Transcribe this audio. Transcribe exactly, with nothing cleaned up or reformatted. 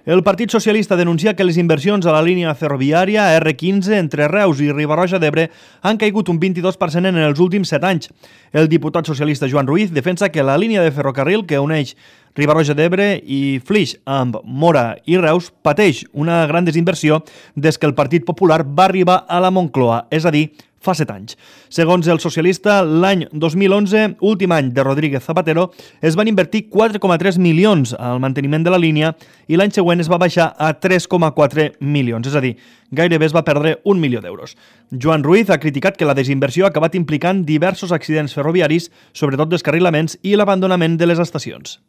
El Partit Socialista denuncia que les inversions a la línia ferroviària erre quinze entre Reus i Riba-roja d'Ebre han caigut un vint-i-dos per cent en els últims set anys. El diputat socialista Joan Ruiz defensa que la línia de ferrocarril que uneix Riba-roja d'Ebre i Flix amb Móra i Reus pateix una gran desinversió des que el Partit Popular va arribar a la Moncloa, és a dir, fa set anys. Segons el socialista, l'any dos mil onze, últim any de Rodríguez Zapatero, es van invertir quatre coma tres milions al manteniment de la línia i l'any següent es va baixar a tres coma quatre milions, és a dir, gairebé es va perdre un milió d'euros. Joan Ruiz ha criticat que la desinversió ha acabat implicant diversos accidents ferroviaris, sobretot descarrilaments i l'abandonament de les estacions.